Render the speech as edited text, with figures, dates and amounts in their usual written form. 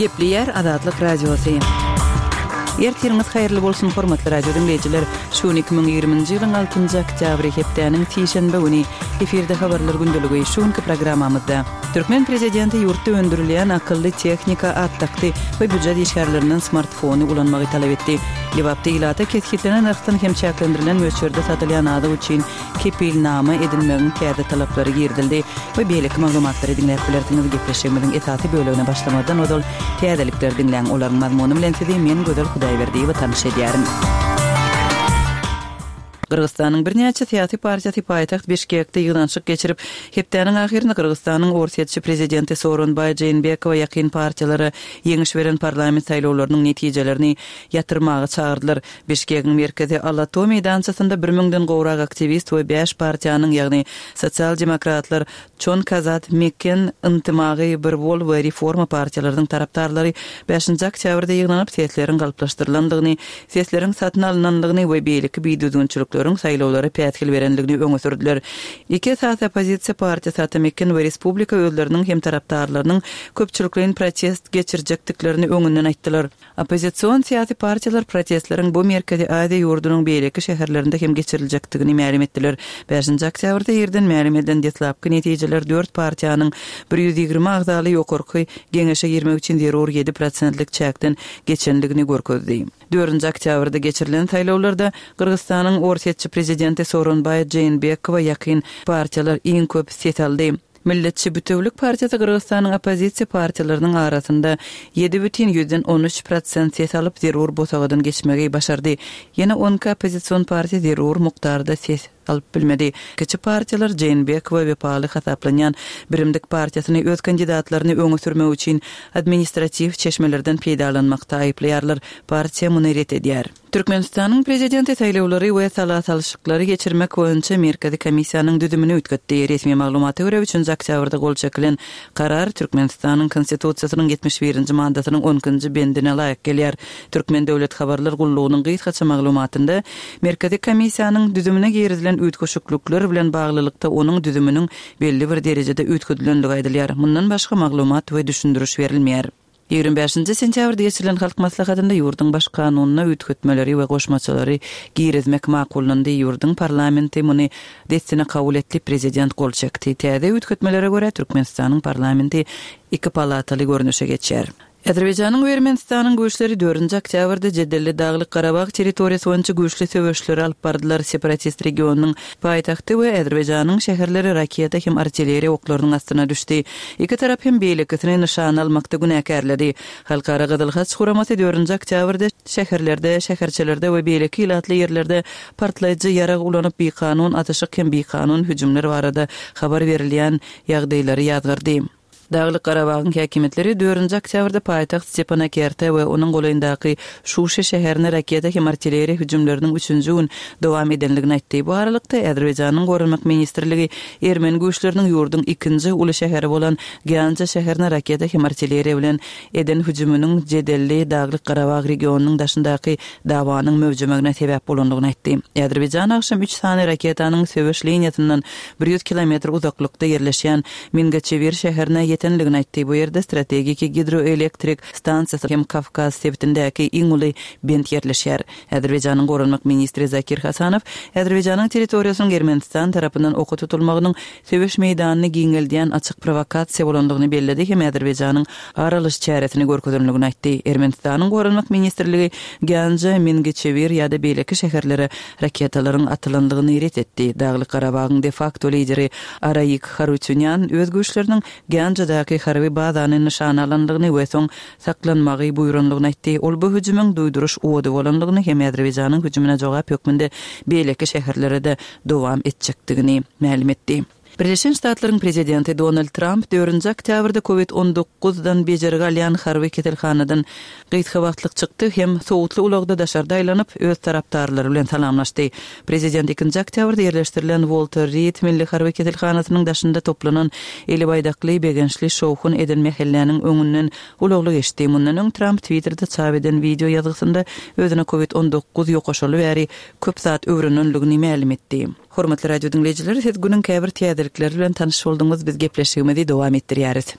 Gepleýär Azatlyk Radiosy. Ertiriňiz haýyrly bolsun, hormatly radio diňleýjiler! Şu gün 2020-nji ýylyň altynjy oktýabry, hepdäniň sişenbe güni. Efirde Habarlar gündeligi. Şu günki programmamyzda. Türkmen prezidenti ýurtda öndürilýän akylly tehnika at dakdy we býujet işgärlerinden smartfony ulanmagy talap etdi. Lebapda ilata kesgitlenen nyrhdan hem çäklendirilen möçberde satylýan azyk üçin kepilnama edinmegiň täze talaplary girizildi we beýleki maglumatlary diňläp bilersiňiz. Gepleşigimiziň esasy bölegine başlamazdan ozal täzelikleri diňläň. Olaryň mazmuny bilen sizi men Gözel Hudaýberdiýewa tanyş edýärin. Gyrgyzystanyň birnäçe syýasy partiýasy paýtagt Bişkekde ýygnanyşyk geçirip, hepdäniň ahyrynda Gyrgyzystanyň orsýetçi prezidenti Sooronbaý Jeenbekowa ýakyn partiýalara ýeňiş beren parlament saýlawlarynyň netijelerini ýatyrmaga çagyrdylar. Bişkegiň merkezi Ala-Too meýdançasynda bir müňden gowrak aktiwist we bäş partiýanyň, ýagny Sosial-demokratlar, Çon Kazat, Meken, Yntymagy, Bir bol we Reforma partiýalarynyň tarapdarlary bäşinji oktýabrda ýygnanyp, sesleriň galplaşdyrylandygyny, sesleriň satyn alnandygyny we beýleki bidüzgünçilikleriň saýlawlara päsgel berendigini öňe sürdüler. Iki esasy oppozisiýa partiýasy Ata Meken we Respublika özleriniň hem tarapdarlarynyň köpçülikleýin protest geçirjekdiklerini öňünden aýtdylar. Oppozision syýasy partiýalar protestleriň bu Merkezi Aziýa ýurdunyň beýleki şäherlerinde hem geçiriljekdigini mälim etdiler. Bäşinji oktýabrda irden mälim edilen deslapky netijeler dört partiýanyň 120 agzaly Ýokarky Geňeşe girmek üçin zerur ýedi prosentlik çäkden geçendigini görkezdi. Dördünji oktýabrda geçirilen saýlawlarda Gyrgyzystanyň orsýetçi prezidenti Sooronbaý Jeenbekowa ýakyn partiýalar iň köp ses aldy. Milletçi Bütewülik partiýasy Gyrgyzystanyň oppozisiýa partiýalarynyň arasynda 7,13 prosent ses alyp, zerur bosagadan geçmegi başardy. Ýene 12 oppozision partiýa zerur mukdarda ses alyp bilmedi. Kiçi partiýalar Jeenbekowa wepaly hasaplanýan Birimdik partiýasyny öz kandidatlaryny öňe sürmek üçin administratiw çeşmelerden peýdalanmakda aýyplaýarlar. Partiýa muny ret edýär. Türkmenistanyň Prezidenti saýlawlary we sala salşyklary geçirmek boýunça Merkezi komissiýanyň düzümini üýtgetdi. Resmi maglumata görä, üçünji oktýabrda gol çekilen karar Türkmenistanyň Konstitusiýasynyň 71-nji maddasynyň on ikinji bendine laýyk gelýär. Türkmen döwlet habarlar gullugynyň gysgaça maglumatynda Merkezi komissiýanyň düzümine girizilen üýtgeşiklikler bilen baglylykda onuň düzüminiň belli bir derejede üýtgedilendigi aýdylýar. Mundan başga maglumat we düşündiriş berilmeýär. 25-nji sentýabrda geçirilen Halk Maslahatynda ýurduň Baş Kanunyna üýtgetmeleri we goşmaçalary girizmek makullandy. Ýurduň parlamenti muny dessine kabul etdi, prezident gol çekdi. Täze üýtgetmelere görä, Türkmenistanyň parlamenti iki palataly görnüşe geçýär. Azerbaýjanyň we Ermenistanyň güýçleri dördünji oktýabrda jedelli Daglyk-Garabag territoriýasy boýunça güýçli söweşleri alyp bardylar. Separatist regionynyň paýtagty we Azerbaýjanyň şäherleri raketa hem artilleriýa oklarynyň astyna düşdi. Iki tarap hem beýlekisini nyşana almakda günäkärledi. Halkara Gyzyl Haç guramasy dördünji oktýabrda şäherlerde, şäherçelerde we beýleki ilatly ýerlerde partlaýjy ýarag ulanyp bikanun atyşyk hem bikanun hüjümler barada habar berilýän ýagdaýlary ýazgardy. Daglyk Garabagyň häkimiýetleri dördünji oktýabrda paýtagt Stepanakerte we onuň golaýyndaky Şuşi şäherine raketa hem artilleriýa hüjümleriniň üçünji gün dowam edendigini aýtdy. Bu aralykda, Azerbaýjanyň Goranmak ministrligi ermeni güýçleriniň ýurduň ikinji uly şäheri bolan Gýanja şäherine raketa hem artilleriýa bilen eden hüjüminiň jedelli Daglyk Garabag regionynyň daşyndaky dawanyň möwjemegine sebäp bolandygyny aýtdy. Azerbaýjan agşam üç sany raketanyň söweş liniýasyndan 100 kilometr uzaklykda ýerleşýän Mingaçewir şäherine ýetendigini aýtdy. Bu ýerde strategiki gidroelektrik stansiýasy hem Kawkaz sebitindäki iň uly bent ýerleşýär. Azerbaýjanyň goranmak ministri Zakir Hasanow Azerbaýjanyň territoriýasynyň Ermenistan tarapyndan oka tutulmagynyň söweş meýdanyny giňeldýän açyk prowokasiýa bolandygyny belledi hem Azerbaýjanyň ar alyş çäresini görkezenligini aýtdy. Ermenistanyň Goranmak ministrligi Ganja, Mingiçewir ýa-da beýleki şäherlere raketalaryň atylandygyny ret etdi. Daglyk-Garabagyň de-fakto lideri Araik Harutýunýan öz güýçleriniň Gänjadaky harby bazany nyşana alandygyny we soň saklanmagy buýrandygyny aýtdy. Ol bu hüjümiň duýduryş ody bolandygyny hem Azerbaýjanyň hüjümine jogap hökmünde beýleki şäherlere-de dowam etjekdigini mälim etdi. Birleşen Ştatlaryň prezidenti Donald Tramp dördünji oktýabrda Covid 19 dan bejergi alýan harby keselhanadan gysga wagtlyk çykdy hem sowutly ulagda daşarda aýlanyp, öz tarapdarlary bilen salamlaşdy. Prezident ikinji oktýabrda ýerleşdirilen Wolter Rid milli harby keselhanasynyň daşynda toplanan eli baýdakly, begençli şowhun eden mähelläniň öňünden ulagly geçdi. Mundan öň Tramp Twitterde çap eden wideo ýazgysynda özüne Covid 19 ýokaşaly bäri köp zat öwrenenligini mälim etdi. Hormatly radio diňleýjiler, siz günüň käbir täzelikleri bilen tanyş bolduňyz, biz gepleşigimizi dowam etdirýäris.